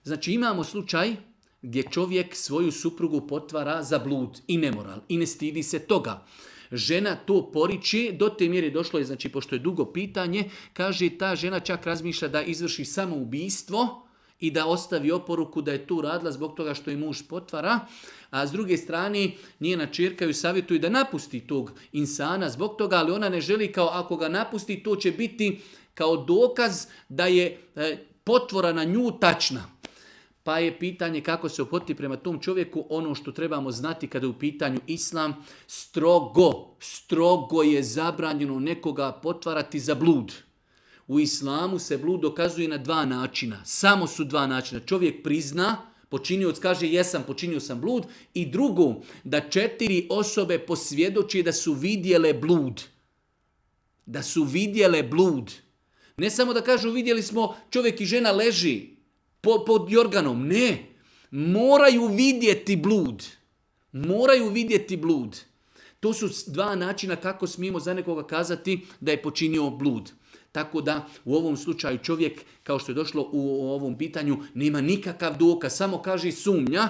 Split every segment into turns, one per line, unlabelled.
Znači imamo slučaj gdje čovjek svoju suprugu potvara za blud i nemoral i ne stidi se toga. Žena to poriče, do te mjere došlo je, znači pošto je dugo pitanje, kaže ta žena čak razmišlja da izvrši samoubistvo i da ostavi oporuku da je to radila zbog toga što je muž potvara, a s druge strane njena ćerka ju savjetuje da napusti tog insana zbog toga, ali ona ne želi kao ako ga napusti to će biti kao dokaz da je potvora na nju tačna. Pa je pitanje kako se ophoditi prema tom čovjeku. Ono što trebamo znati kada je u pitanju islam, strogo je zabranjeno nekoga potvarati za blud. U islamu se blud dokazuje na dva načina. Samo su dva načina. Čovjek prizna, počinioc kaže jesam, počinio sam blud. I drugo, da 4 osobe posvjedoči da su vidjele blud. Da su vidjele blud. Ne samo da kažu vidjeli smo čovjek i žena leži pod jorganom. Ne. Moraju vidjeti blud. Moraju vidjeti blud. To su dva načina kako smijemo za nekoga kazati da je počinio blud. Tako da u ovom slučaju čovjek, kao što je došlo u ovom pitanju, nema nikakav dokaz, samo kaže sumnja.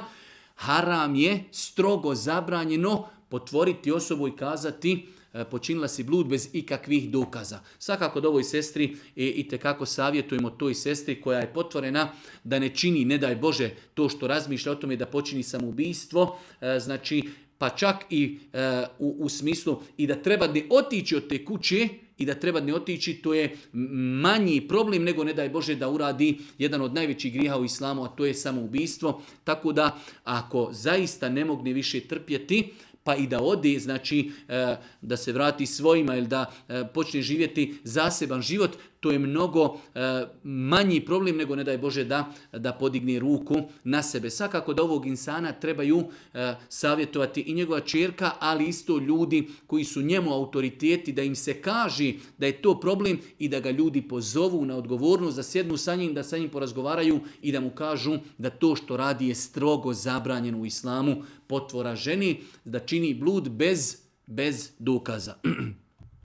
Haram je strogo zabranjeno potvoriti osobu i kazati počinila si blud bez ikakvih dokaza. Svakako da ovoj sestri itekako savjetujemo toj sestri koja je potvorena da ne čini, ne daj Bože, to što razmišlja o tome da počini samoubistvo, znači pa čak i u smislu i da treba ne otići od te kuće i da treba ne otići, to je manji problem nego ne daj Bože da uradi jedan od najvećih grijeha u islamu, a to je samoubistvo. Tako da ako zaista ne mogne više trpjeti, pa i da ode, znači da se vrati svojima ili da počne živjeti zaseban život, to je mnogo manji problem nego ne daj Bože da podigne ruku na sebe. Svakako da ovog insana trebaju savjetovati i njegova ćerka, ali isto ljudi koji su njemu autoriteti, da im se kaže da je to problem i da ga ljudi pozovu na odgovornost, da sjednu sa njim, da sa njim porazgovaraju i da mu kažu da to što radi je strogo zabranjeno u islamu, potvora ženi, da čini blud bez dokaza.